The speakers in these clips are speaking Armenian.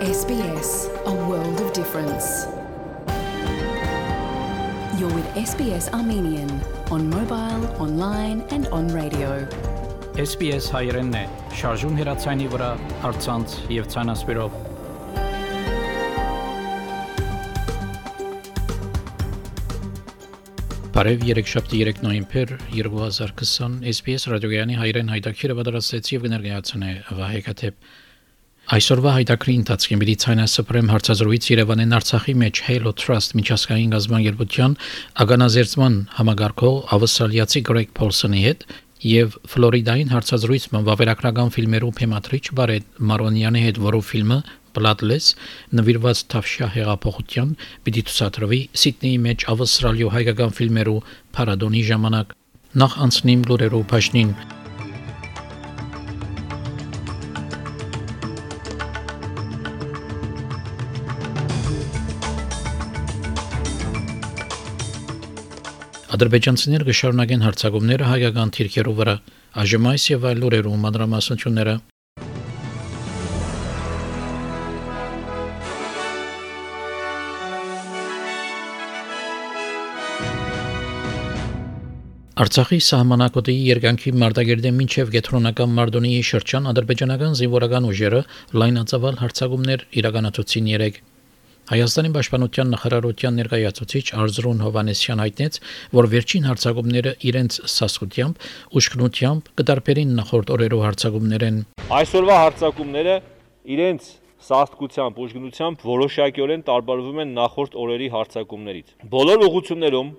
SBS, a world of difference. You're with SBS Armenian on mobile, online and on radio. SBS հայերենն է, շարժուն հեռացայինի վրա, առցանց եւ ցանասպիրով։ Բարև երեքշաբթի 3 նոյեմբեր 2020 SBS ռադիոյանի հայերեն հայտակիրը պատրաստեց եւ կներկայացնե Վահե Քաթեփ։ Այսօրվա հայտակրի ընթացքին Ցայնասպրեմ հարցազրույց Երևանեն Արցախի մեջ Halo Trust միջազգային գազբանգերության ագանազերծման համագարկող ավստրալիացի Գրեգ Փոլսոնի հետ եւ Ֆլորիդային հարցազրույցում վավերագրական ֆիլմերու թեմատրիչ Բարետ Մարոնյանի հետ, որով ֆիլմը Bloodless նվիրված Թավշյա հեղափոխության պիտի ցուցադրվի Սիդնեի մեջ ավստրալիո հայկական ֆիլմերու փառատոնի ժամանակ։ Նախ անցնիմ լուրերով փաշնին։ Ադրբեջանցիները կշարունակեն հարձակումները հայկական թիրքերու վրա, այժմ այս եւ այլ լուրերու մանրամասնությունները։ Արցախի սահմանակոդի երկանքի մարտագերդեն մինչև Գետրոնական Մարտոնիի շրջան ադրբեջանական զինվորական ուժերը լայնածավալ հարձակումներ իրականացուցին երեկ։ Հայաստանի պաշտպանության նախարարության ներկայացուցիչ Արզրուն Հովանեսյան հայտնեց, որ վերջին հարձակումները իրենց սասկությամբ, ուշքնությամբ կդարբերին նախորդ օրերու հարձակումներեն։ Այսօրվա հարձակումները իրենց սաստկությամբ, ուշքնությամբ որոշակիորեն տարբերվում են նախորդ օրերի հարձակումներից։ Բոլոր ուղղություններում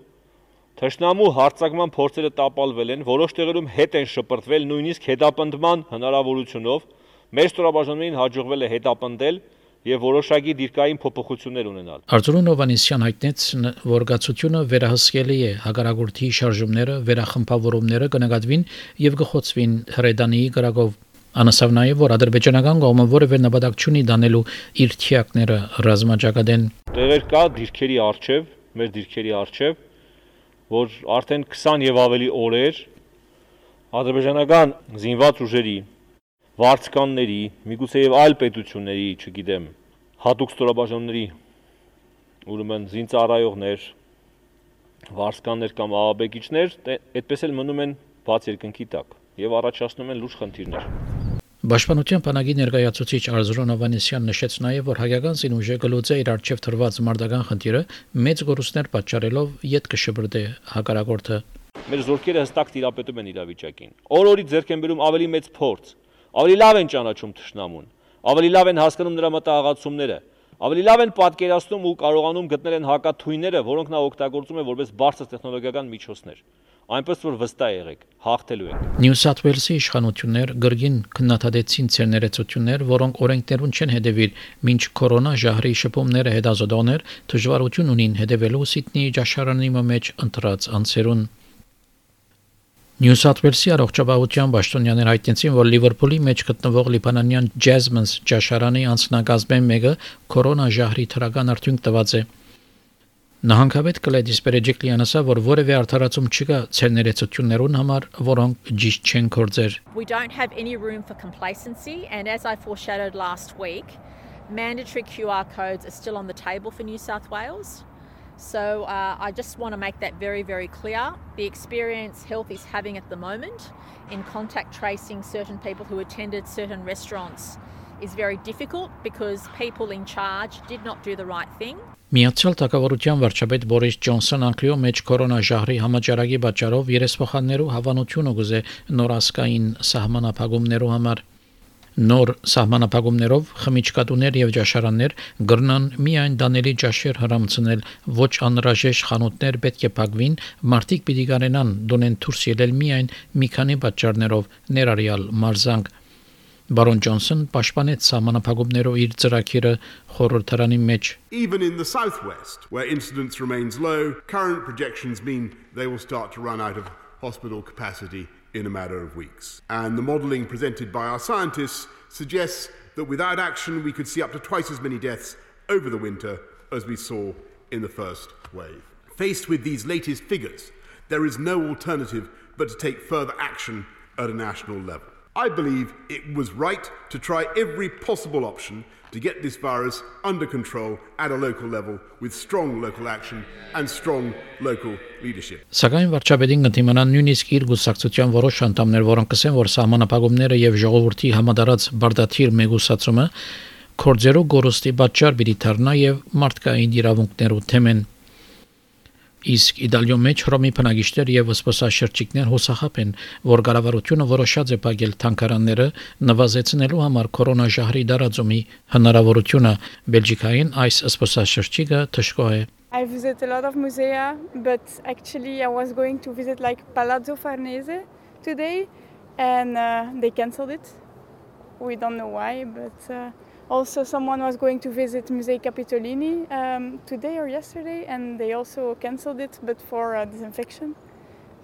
թշնամու հարձակման փորձերը տապալվել են, որոշ տեղերում հետ են շպրտվել, նույնիսկ հետապնդման հնարավորությունով։ Մեր ստորաբաժանումներին հաջողվել է հետապնդել եւ որոշակի դիրքային փոփոխություններ ունենալ։ Արծրուն Հովանեսյան հայտնեց, որ գացությունը վերահսկելի է, հակառակորդի շարժումները, վերախմբավորումները կնկատվին եւ կխոցվին հրեդանիի գրակով։ Անասավ նաեւ, որ ադրբեջանական կողմը որևէ նպատակ չունի դանելու իր թիակները ռազմաճակատեն։ Տեղեր կա դիրքերի արչեւ, մեր դիրքերի արչեւ, որ արդեն 20 եւ ավելի օրեր ադրբեջանական զինված ուժերի վարձկանների, միգուցե եւ այլ պետությունների, չգիտեմ, հատուկ ստորաբաժանումների, ուրեմն զինծառայողներ, վարձկաններ կամ ահաբեկիչներ, այդպես էլ մնում են բաց երկնքի տակ եւ առաջացնում են լուրջ խնդիրներ։ Պաշտպանության բանակի ներկայացուցիչ Արզրուն Հովանեսյան նշեց նաեւ, որ հայկական զինուժը գլուծե իր արչեւ թրված մարտական խնդիրը մեծ գորուստներ պատճառելով յետ կշբրդե հակառակորդը։ Մեր զորքերը հստակ տիրապետում են իրավիճակին։ Օր-օրի ձեռք են բերում ավելի մեծ փորձ, ավելի լավ են ճանաչում թշնամուն, ավելի լավ են հասկանում նրա մտահղացումները, ավելի լավ են պատկերացնում ու կարողանում գտնել են հակաթույները, որոնք նա օգտագործում է որպես բարձր տեխնոլոգիական միջոցներ։ Այնպես որ վստահ եղեք, հաղթելու ենք։ Նյու Սաթ Ուելսի իշխանություններ գրգին քննադատեցին ցերներեցություններ, որոնք օրենքներուն չեն հետևիր, մինչ կորոնա ժահրի շփումները հետազոտողներ դժվարություն ունին հետևելու Սիդնեի ճաշարանի մեջ ընտրած անձերուն։ Նյու Սաթ Ուելսի առողջապահության պաշտոնյաներ հայտնեցին, որ Լիվերպուլի մեջ գտնվող լիբանանյան Jasmine ճաշարանի անձնակազմեն մեկը կորոնա ժահրի թրական արդյունք տված է։ Նահանգապետ Կլեդիս Պերեջիկլյանը ասավ, որ որևէ արդարացում չկա ցերներեցություններուն համար, որոնք ճիշտ չեն կործեր։ We don't have any room for complacency, and as I foreshadowed last week, mandatory QR codes are still on the table for New South Wales. So I just want to make that very, very clear. The experience Health is having at the moment in contact tracing certain people who attended certain restaurants is very difficult because people in charge did not do the right thing. Միացյալ Թագավորության վարչապետ Բորիս Ջոնսոն անկլիո մեջ կորոնա ժահրի համաճարակի պատճառով երեսփոխաններու հավանությունը գուզե նորասկային սահմանափակումներու համար։ Նոր սահմանափակումներով խմիչքատուներ եւ ճաշարաններ գրնան միայն դանելի ճաշեր հրամցնել, ոչ անհրաժեշտ խանութներ պետք է փակվին, մարդիկ պիտի կարենան դոնեն դուրս ելել միայն մի քանի պատճառներով, ներառյալ մարզանք։ Baron Johnson պաշտպանեց սահմանափակումներով իր ծրագիրը խորհրդարանի մեջ։ Even in the southwest, where incidence remains low, current projections mean they will start to run out of hospital capacity in a matter of weeks. And the modelling presented by our scientists suggests that without action we could see up to twice as many deaths over the winter as we saw in the first wave. Faced with these latest figures, there is no alternative but to take further action at a national level. I believe it was right to try every possible option to get this virus under control at a local level with strong local action and strong local leadership. Սակայն վարչապետին կդիմանան նույնիսկ իր գուսակցության որոշ անդամներ, որոնք կսեն, որ սահմանապահումները եւ ժողովրդի համադարած բարդաթիր մեգուսացումը կորձերու գորոստի պատճառ պիտի դառնա եւ մարդկային իրավունքներու թեմեն իսկ իդալիո մեջ հռոմի բնակիչներ եւ սպասաշրջիկներ հուսախապ են, որ կառավարությունը որոշած է փակել թանկարանները նվազեցնելու համար կորոնաժահրի դարածումի հնարավորությունը Բելգիկային այս սպասաշրջիկը թշկո է I visit a lot of musea, but actually I was going to visit like Palazzo Farnese today and they cancelled it. We don't know why, but also someone was going to visit Musei Capitolini today or yesterday and they also cancelled it, but for disinfection.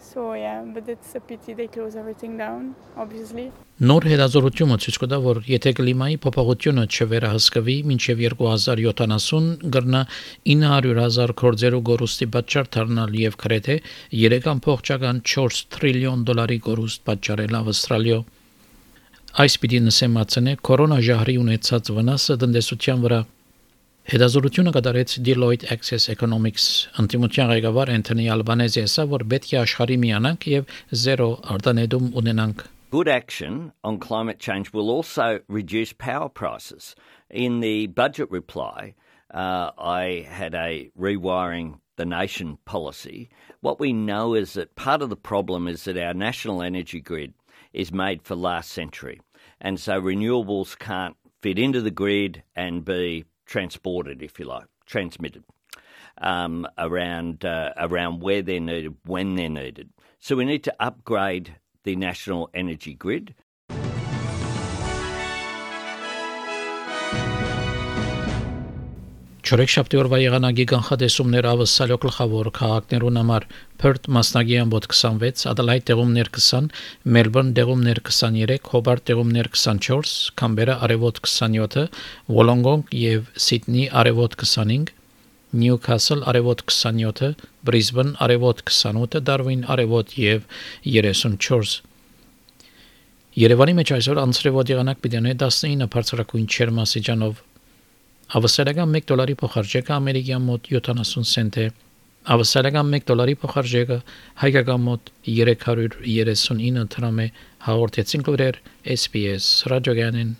So yeah, but it's a pity they close everything down, obviously. Նոր հետազոտությունը ցույց կտա, որ եթե կլիմայի փոփոխությունը չվերահսկվի մինչև 2070 կգրնա 900,000 կորձերու գորուստի պատճառ դառնալ եւ գրեթե 3.4 տրիլիոն դոլարի գորուստ պատճառել Ավստրալիա։ Այս պիտի նսեմացնե կորոնաժահրի ունեցած վնասը տնտեսության վրա։ Հետազոտությունը կատարեց Deloitte Access Economics անտիմության ղեկավար Անթոնի Ալբանեզը ասա, որ պետք է աշխարհի միանանք եւ զերո արտանետում ունենանք։ Good action on climate change will also reduce power prices. In the budget reply, I had a rewiring the nation policy. What we know is that part of the problem is that our national energy grid is made for last century. And so renewables can't fit into the grid and be transported, if you like, transmitted around where they're needed, when they're needed. So we need to upgrade the national energy grid. Չորեքշաբթի օրվա եղանակի կանխատեսումներ ավսալյո գլխավոր քաղաքներուն համար Perth մասնագի ամբոտ 26, Adelaide տեղումներ 20, Melbourne տեղումներ 23, Hobart տեղումներ 24, Canberra արևոտ 27, Wollongong եւ Sydney արևոտ 25, Newcastle արևոտ 27, Brisbane արևոտ 28, Darwin արևոտ եւ 34 Երևանի մեջ այսօր անցրևոտ եղանակ պիտի ունենա 19 բարձրակույն չերմասիջանով Ավստրալիական $1 փոխարժեքը ամերիկյան մոտ 70 سنت է Ավստրալիական $1 փոխարժեքը հայկական մոտ 339 դրամ է հաղորդեցին լուրեր SPS ռադիոգյանին